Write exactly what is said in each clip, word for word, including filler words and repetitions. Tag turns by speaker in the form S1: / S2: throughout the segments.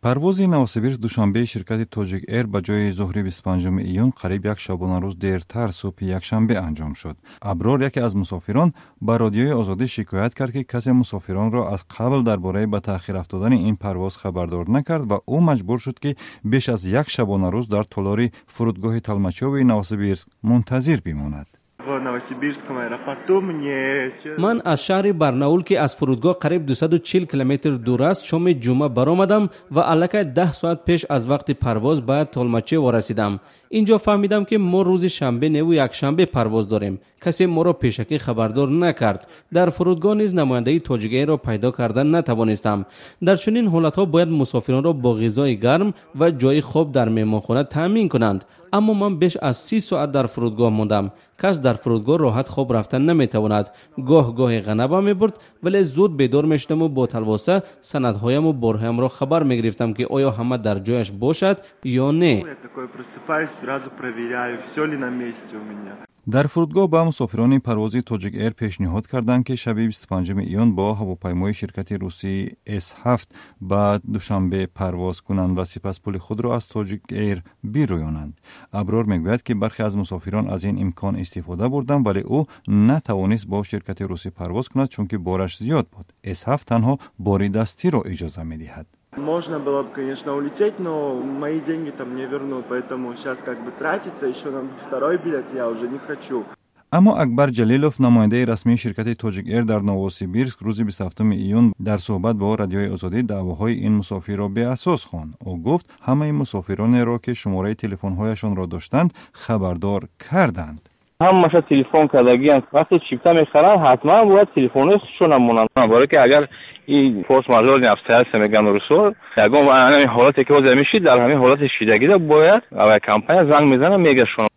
S1: Парвози Новосибирск Душанбеи ширкати Тоҷик Эйр ба ҷои зуҳри бисту панҷуми июн қариб як шабонарӯз дертар, субҳи якшанбе анҷом шуд. Аброр, яке аз мусофирон, ба Радиои Озодӣ шикоят кард, ки касе мусофиронро аз қабл дар бораи ба таъхир афтодани ин парвоз хабардор накард ва ӯ маҷбур шуд, ки беш аз як шабонарӯз дар толори фурудгоҳи Толмачёвои Новосибирск мунтазир бимонад.
S2: В Новосибирском аэропорту мне
S3: Ман аз шаҳри Барнаул, ки аз фурудгоҳ қариб дусаду чил километр дур аст, шоми ҷумъа баромадам ва аллакай даҳ соат пеш аз вақти парвоз ба Толмачево расидам. Инҷо фаҳмидам, ки мо рӯзи шанбе неву якшанбе парвоз дорем. Касе моро пешакӣ хабардор накард. Дар фурудгоҳ низ намояндаи Тоҷикэйрро пайдо карда натавонистам. Дар чунин ҳолатҳо бояд мусофиронро бо ғизои гарм ва ҷои хоб дар меҳмонхона таъмин кунанд, аммо ман беш аз си соат дар фурудгоҳ мондам. Кас дар фурудгоҳ роҳат хоб рафта наметавонад. Гоҳ гоҳе ғанабам мебурд, вале зуд бедор мешудаму бо талвоса санадҳояму борҳоямро хабар мегирифтам, ки оё ҳама дар ҷояш бошад ё не.
S2: Я такой просыпаюсь, сразу проверяю, все ли на месте у меня.
S1: Дар фурудгоҳ ба мусофирони парвози Тоҷик Эйр пешниҳод карданд, ки шаби бисту панҷуми июн бо ҳавопаймои ширкати русии С ҳафт ба Душанбе парвоз кунанд ва сипас пули худро аз Тоҷик Эйр бирӯёнанд. Аброр мегӯяд, ки бархе аз мусофирон аз ин имкон истифода бурданд, вале ӯ натавонист бо ширкати русӣ парвоз кунад, чунки бораш зиёд буд. С ҳафт танҳо бори дастиро иҷоза медиҳад.
S2: Можно было бы, конечно, улететь, но мои деньги там не вернут, поэтому сейчас как бы тратиться еще на второй билет я уже не хочу.
S1: Аммо Акбар Ҷалилов, намояндаи расмии ширкати Тоҷик Эйр дар Новосибирск, рӯзи бисту ҳафтуми июн дар суҳбат бо Радиои Озодӣ даъвоҳои ин мусофирро беасос хонд. Ӯ гуфт, ҳамаи мусофиронеро, ки шумораи телефонҳояшонро доштанд, хабардор карданд.
S4: Ҳамаша телефон кардагиянд. Вақте чипта мехаранд, ҳатман бояд телефонҳои худшона монанд, барое ки агар ин форс-мажорные обстоятельства мегӯянд русо, ягон ҳамин ҳолате ки ҳозир мешид, дар ҳамин ҳолати шидагида бояд авиакомпания занг мезанад, мегашон.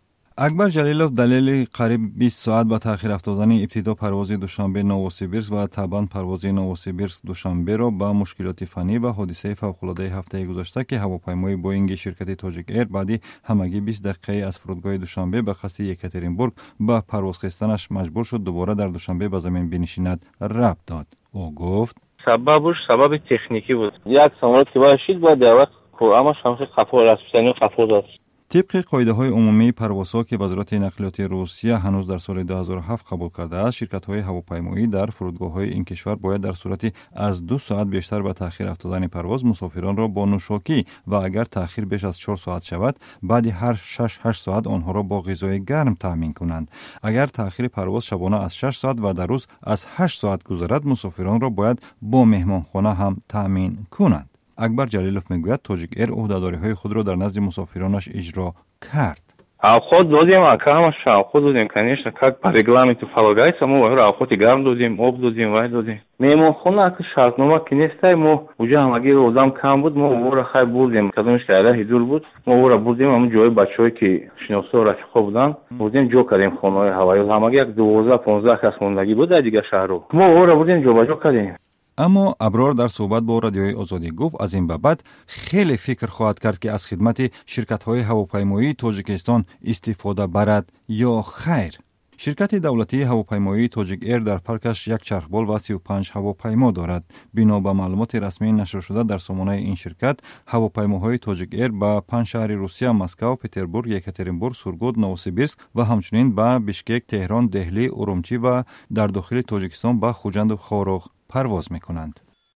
S1: Акбар Ҷалилов далели қариб бист соат ба таъхир афтодани ибтидо парвози Душанбе Новосибирск ва табъан парвози Новосибирск Душанберо ба мушкилоти фаннӣ ва ҳодисаи фавқулодаи ҳафтаи гузашта, ки ҳавопаймои Боинги ширкати Тоҷик Эйр баъди ҳамагӣ бист дақиқаи аз фурудгоҳи Душанбе ба қасди Екатеринбург ба парвоз хестанаш маҷбур шуд дубора дар Душанбе ба замин бинишинад, рабт дод. Ӯ гуфт:
S4: Сабабуш сабаби техникӣ буд. Як самолёт ки бояд шид, бояд дар вақт ҳамаш ҳамхи қафо расписание қафо дод.
S1: Тибқи қоидаҳои умумии парвозҳо, ки Вазорати нақлиёти Русия ҳанӯз дар соли ду ҳазору ҳафт қабул кардааст, ширкатҳои ҳавопаймоӣ дар фурудгоҳҳои ин кишвар бояд дар сурати аз ду соат бештар ба таъхир афтодани парвоз мусофиронро бо нӯшокӣ ва агар таъхир беш аз чор соат шавад, баъди ҳар шаш ҳашт соат онҳоро бо ғизои гарм таъмин кунанд. Агар таъхири парвоз шабона аз шаш соат ва дар рӯз аз ҳашт соат гузарад, мусофиронро бояд бо меҳмонхона ҳам таъмин кунанд. Акбар Ҷалилов мегӯяд, Тоҷик Эйр ӯҳдадориҳои худро дар назди мусофиронаш иҷро кард.
S4: Авқот додем, ака, ҳамаш авқот додем, конечно, как по регламенту полагается. Мо вайро авқоти гарм додем, об додем, вай додем. Меҳмонхона, ака, шартнома ки нестай. Мо уҷа ҳамагӣ одам кам буд, мо ора хай бурдем, кадомиш ки раҳи дур буд, мо ора бурдем, ҳамн ҷои бачаҳое ки шиносо, рафиқҳо буданд, бурдем, ҷо кардем хонаҳои ҳавоӣ. Ҳамагӣ як дувоздаҳ понздаҳ кас мондагӣ буд дар дигар шаҳрҳо, мо ора бурдем, ҷобаҷо кардем.
S1: Аммо Аброр дар суҳбат бо Радиои Озодӣ гуфт, аз ин ба баъд хеле фикр хоҳад кард, ки аз хидмати ширкатҳои ҳавопаймоии Тоҷикистон истифода барад ё хайр. Ширкати давлатии ҳавопаймоии Тоҷик Эйр дар паркаш як чархбол ва сию панҷ ҳавопаймо дорад. Бино ба маълумоти расмии нашршуда дар сомонаи ин ширкат, ҳавопаймоҳои Тоҷик Эйр ба панҷ шаҳри Русия: Москав, Петербург, Екатеринбург, Сургут, Новосибирск ва ҳамчунин ба Бишкек, Теҳрон, Деҳлӣ, Урумчӣ ва дар дохили Тоҷикистон ба Хуҷанду Хоруғ парвоз мекунанд.